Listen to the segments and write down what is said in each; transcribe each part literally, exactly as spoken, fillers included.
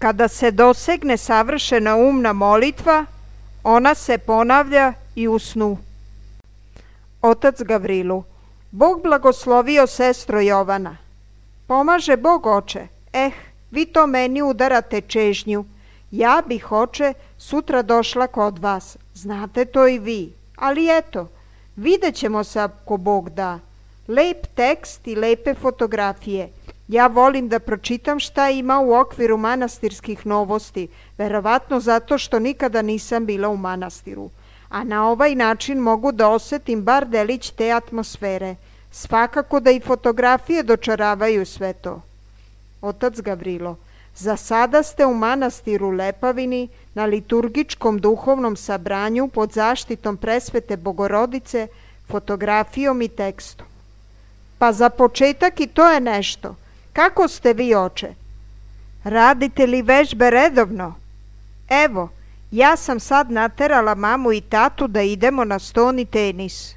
Kada se dosegne savršena umna molitva, ona se ponavlja i u snu. Otac Gavrilu: Bog blagoslovio sestro Jovana. Pomaže Bog, oče. Eh, vi to meni udarate čežnju. Ja bih, oče, sutra došla kod vas. Znate to i vi. Ali eto, vidjet ćemo se ako Bog da. Lep tekst i lepe fotografije. Ja volim da pročitam šta ima u okviru manastirskih novosti, verovatno zato što nikada nisam bila u manastiru. A na ovaj način mogu da osetim bar delić te atmosfere. Svakako da i fotografije dočaravaju sve to. Otac Gavrilo: Za sada ste u manastiru Lepavini na liturgičkom duhovnom sabranju pod zaštitom presvete Bogorodice, fotografijom i tekstom. Pa za početak i to je nešto. Kako ste vi, oče? Radite li vežbe redovno? Evo, ja sam sad naterala mamu i tatu da idemo na stoni tenis.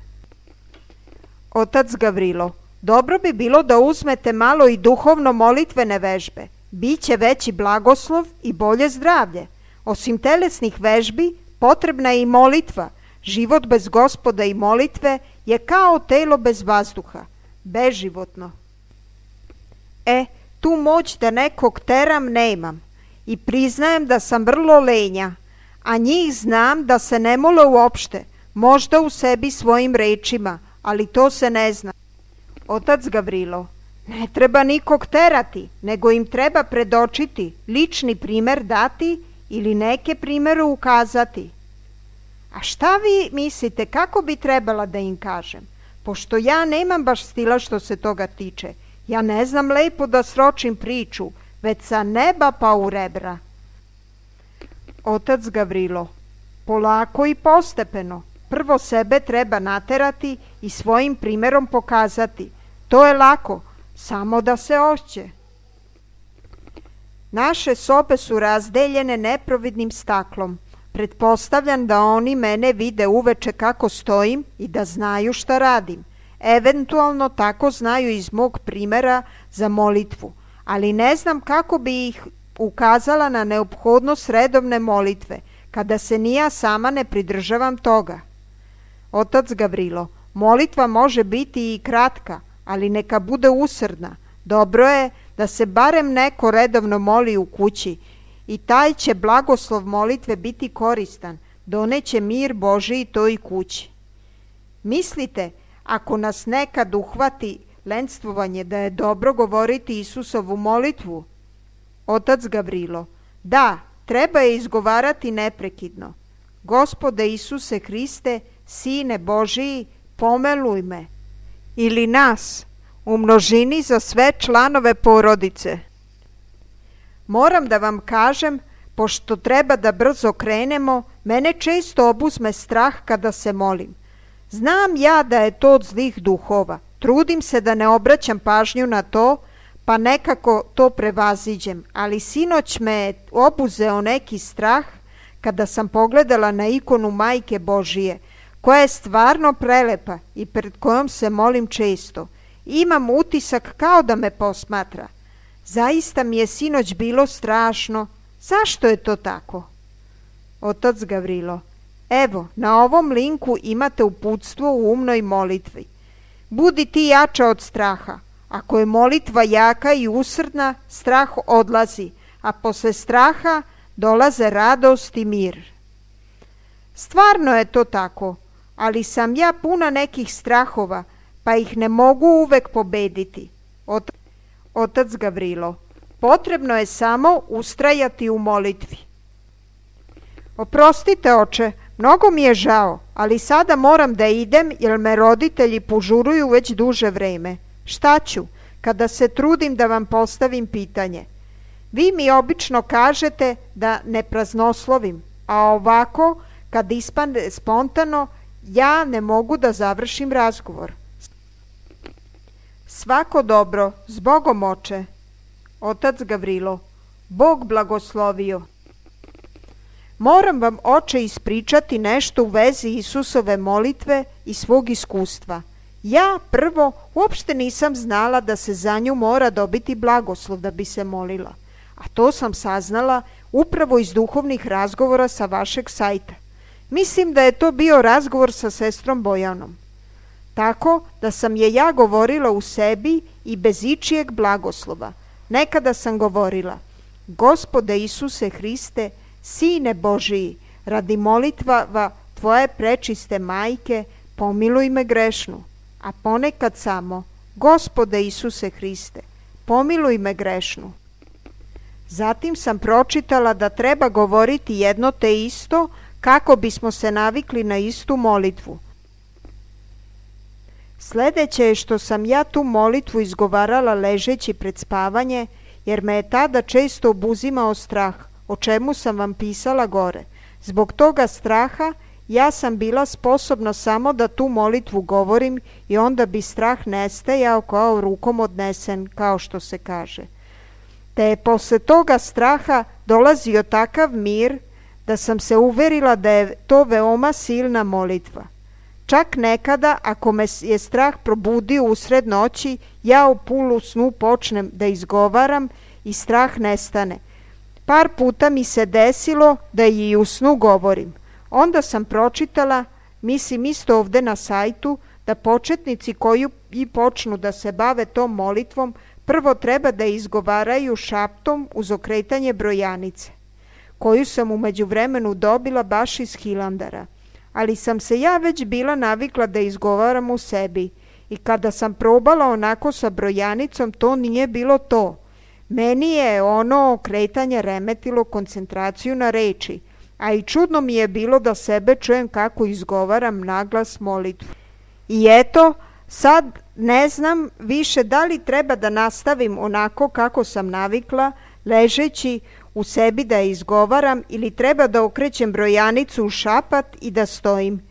Otac Gavrilo: Dobro bi bilo da uzmete malo i duhovno molitvene vežbe. Biće veći blagoslov i bolje zdravlje. Osim telesnih vežbi, potrebna je i molitva. Život bez Gospoda i molitve je kao telo bez vazduha, beživotno. E, tu moć da nekog teram nemam i priznajem da sam vrlo lenja, a njih znam da se ne mole uopšte, možda u sebi svojim rečima, ali to se ne zna. Otac Gavrilo: Ne treba nikog terati, nego im treba predočiti, lični primer dati ili neke primere ukazati. A šta vi mislite, kako bi trebala da im kažem? Pošto ja nemam baš stila što se toga tiče. Ja ne znam lepo da sročim priču, već sa neba pa u rebra. Otac Gavrilo: polako i postepeno. Prvo sebe treba naterati i svojim primjerom pokazati. To je lako, samo da se hoće. Naše sobe su razdeljene neprovidnim staklom. Pretpostavljam da oni mene vide uveče kako stojim i da znaju šta radim. Eventualno tako znaju iz mog primjera za molitvu, ali ne znam kako bi ih ukazala na neophodnost redovne molitve, kada se ni ja sama ne pridržavam toga. Otac Gavrilo, molitva može biti i kratka, ali neka bude usrdna. Dobro je da se barem neko redovno moli u kući i taj će blagoslov molitve biti koristan, doneće mir Božiji toj kući. Mislite, ako nas nekad uhvati lenstvovanje, da je dobro govoriti Isusovu molitvu? Otac Gavrilo, da, treba je izgovarati neprekidno. Gospode Isuse Hriste, Sine Božiji, pomiluj me. Ili nas, u množini za sve članove porodice. Moram da vam kažem, pošto treba da brzo krenemo, mene često obuzme strah kada se molim. Znam ja da je to od zlih duhova. Trudim se da ne obraćam pažnju na to, pa nekako to prevaziđem, ali sinoć me je obuzeo neki strah kada sam pogledala na ikonu Majke Božije, koja je stvarno prelepa i pred kojom se molim često. Imam utisak kao da me posmatra. Zaista mi je sinoć bilo strašno. Zašto je to tako? Otac Gavrilo, evo, na ovom linku imate uputstvo u umnoj molitvi. Budi ti jača od straha. Ako je molitva jaka i usrdna, strah odlazi, a posle straha dolaze radost i mir. Stvarno je to tako, ali sam ja puna nekih strahova, pa ih ne mogu uvek pobediti. Ot- Otac Gavrilo, potrebno je samo ustrajati u molitvi. Oprostite, oče, mnogo mi je žao, ali sada moram da idem jer me roditelji požuruju već duže vreme. Šta ću, kada se trudim da vam postavim pitanje? Vi mi obično kažete da ne praznoslovim, a ovako, kad ispane spontano, ja ne mogu da završim razgovor. Svako dobro, s Bogom, oče. Otac Gavrilo, Bog blagoslovio. Moram vam, oče, ispričati nešto u vezi Isusove molitve i svog iskustva. Ja prvo uopšte nisam znala da se za nju mora dobiti blagoslov da bi se molila, a to sam saznala upravo iz duhovnih razgovora sa vašeg sajta. Mislim da je to bio razgovor sa sestrom Bojanom. Tako da sam je ja govorila u sebi i bez ičijeg blagoslova. Nekada sam govorila, Gospode Isuse Hriste, Sine Božiji, radi molitva Tvoje prečiste majke, pomiluj me grešnu. A ponekad samo, Gospode Isuse Hriste, pomiluj me grešnu. Zatim sam pročitala da treba govoriti jedno te isto kako bismo se navikli na istu molitvu. Sljedeće je što sam ja tu molitvu izgovarala ležeći pred spavanje, jer me je tada često obuzimao strah, o čemu sam vam pisala gore. Zbog toga straha ja sam bila sposobna samo da tu molitvu govorim i onda bi strah nestajao kao rukom odnesen, kao što se kaže. Te je posle toga straha dolazio takav mir da sam se uverila da je to veoma silna molitva. Čak nekada, ako me je strah probudio usred noći, ja u polu snu počnem da izgovaram i strah nestane. Par puta mi se desilo da i u snu govorim. Onda sam pročitala, mislim isto ovde na sajtu, da početnici koji i počnu da se bave tom molitvom, prvo treba da izgovaraju šaptom uz okretanje brojanice, koju sam u međuvremenu dobila baš iz Hilandara. Ali sam se ja već bila navikla da izgovaram u sebi i kada sam probala onako sa brojanicom, to nije bilo to. Meni je ono okretanje remetilo koncentraciju na reči, a i čudno mi je bilo da sebe čujem kako izgovaram naglas molitvu. I eto, sad ne znam više da li treba da nastavim onako kako sam navikla, ležeći u sebi da je izgovaram ili treba da okrećem brojanicu u šapat i da stojim.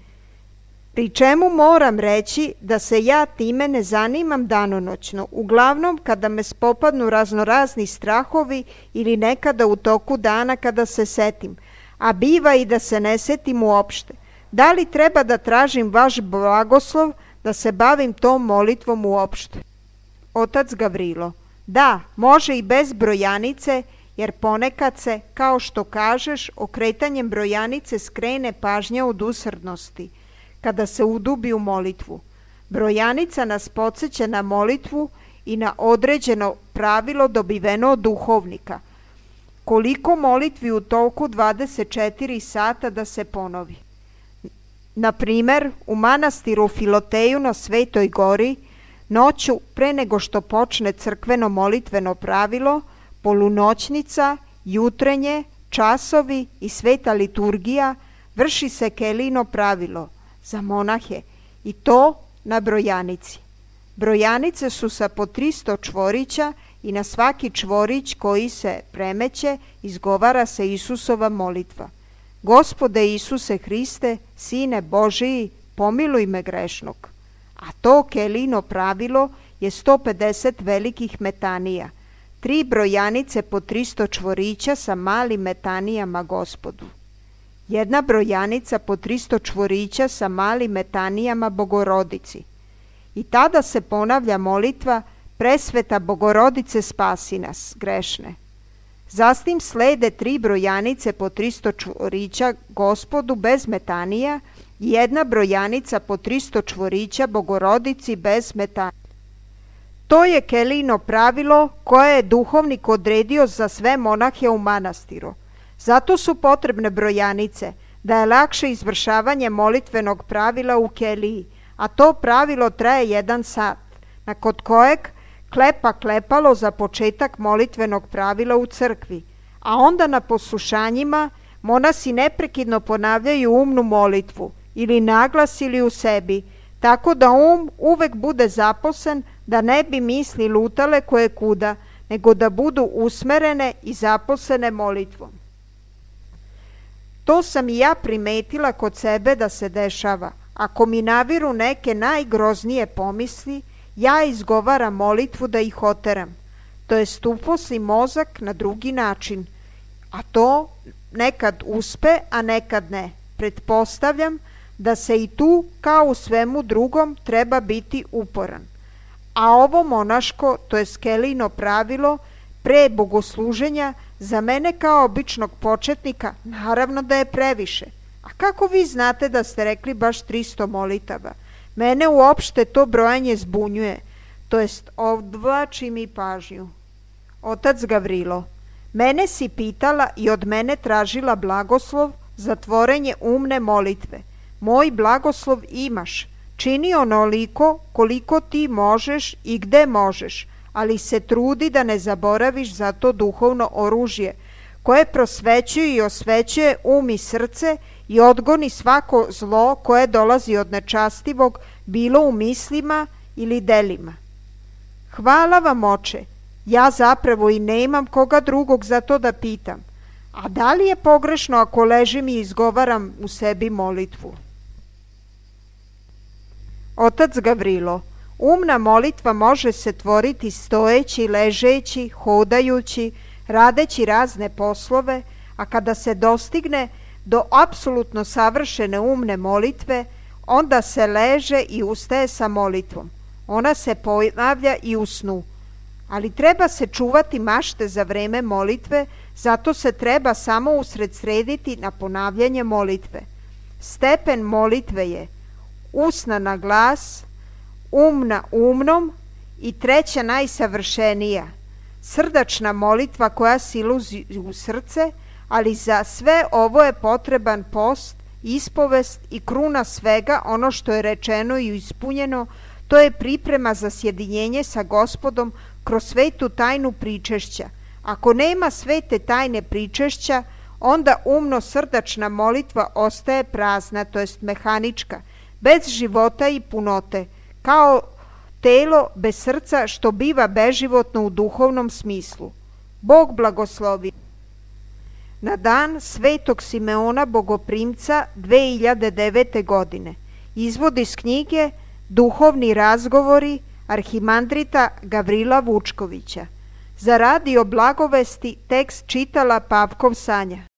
Pri čemu moram reći da se ja time ne zanimam danonoćno, uglavnom kada me spopadnu raznorazni strahovi ili nekada u toku dana kada se setim, a biva i da se ne setim uopšte. Da li treba da tražim vaš blagoslov da se bavim tom molitvom uopšte? Otac Gavrilo: da, može i bez brojanice, jer ponekad se, kao što kažeš, okretanjem brojanice skrene pažnja od usrdnosti, kada se udubi u molitvu. Brojanica nas podsjeća na molitvu i na određeno pravilo dobiveno od duhovnika. Koliko molitvi u toku dvadeset četiri sata da se ponovi? Na primer, u manastiru Filoteju na Svetoj gori, noću pre nego što počne crkveno molitveno pravilo, polunoćnica, jutrenje, časovi i sveta liturgija, vrši se Kelino pravilo za monahe i to na brojanici. Brojanice su sa po tristo čvorića i na svaki čvorić koji se premeće izgovara se Isusova molitva: Gospode Isuse Hriste, Sine Božiji, pomiluj me grešnog. A to Kelino pravilo je sto pedeset velikih metanija, tri brojanice po tristo čvorića sa malim metanijama Gospodu. Jedna brojanica po tristo čvorića sa malim metanijama Bogorodici. I tada se ponavlja molitva: Presveta Bogorodice, spasi nas grešne. Zatim slede tri brojanice po tristo čvorića Gospodu bez metanija i jedna brojanica po tristo čvorića Bogorodici bez metanija. To je Kelino pravilo koje je duhovnik odredio za sve monahe u manastiru. Zato su potrebne brojanice, da je lakše izvršavanje molitvenog pravila u keliji, a to pravilo traje jedan sat, nakon kojeg klepa klepalo za početak molitvenog pravila u crkvi, a onda na poslušanjima monasi neprekidno ponavljaju umnu molitvu, ili naglas ili u sebi, tako da um uvek bude zaposlen, da ne bi misli lutale koje kuda, nego da budu usmerene i zaposlene molitvom. To sam i ja primetila kod sebe da se dešava. Ako mi naviru neke najgroznije pomisli, ja izgovaram molitvu da ih oteram, to jest uposlim mozak na drugi način, a to nekad uspe, a nekad ne. Pretpostavljam da se i tu, kao u svemu drugom, treba biti uporan. A ovo monaško, to jest Kelino pravilo, pre bogosluženja, za mene kao običnog početnika, naravno da je previše. A kako vi znate da ste rekli baš tristo molitava? Mene uopšte to brojanje zbunjuje, to jest odvlači mi pažnju. Otac Gavrilo: mene si pitala i od mene tražila blagoslov za tvorenje umne molitve. Moj blagoslov imaš, čini onoliko koliko ti možeš i gde možeš, ali se trudi da ne zaboraviš za to duhovno oružje, koje prosvećuje i osvećuje um i srce i odgoni svako zlo koje dolazi od nečastivog, bilo u mislima ili delima. Hvala vam, oče, ja zapravo i nemam koga drugog za to da pitam. A da li je pogrešno ako ležim i izgovaram u sebi molitvu? Otac Gavrilo: umna molitva može se tvoriti stojeći, ležeći, hodajući, radeći razne poslove, a kada se dostigne do apsolutno savršene umne molitve, onda se leže i ustaje sa molitvom. Ona se ponavlja i u snu. Ali treba se čuvati mašte za vreme molitve, zato se treba samo usredsrediti na ponavljanje molitve. Stepen molitve je usna na glas, um na umnom i treća najsavršenija, srdačna molitva koja siluzi u srce, ali za sve ovo je potreban post, ispovest i kruna svega ono što je rečeno i ispunjeno, to je priprema za sjedinjenje sa Gospodom kroz svetu tajnu pričešća. Ako nema svete tajne pričešća, onda umno-srdačna molitva ostaje prazna, to jest mehanička, bez života i punote, kao telo bez srca što biva beživotno u duhovnom smislu. Bog blagoslovi. na dan Svetog Simeona Bogoprimca dve hiljade devete godine. Izvod iz knjige Duhovni razgovori arhimandrita Gavrila Vučkovića. Za radio Blagovesti tekst čitala Pavkov Sanja.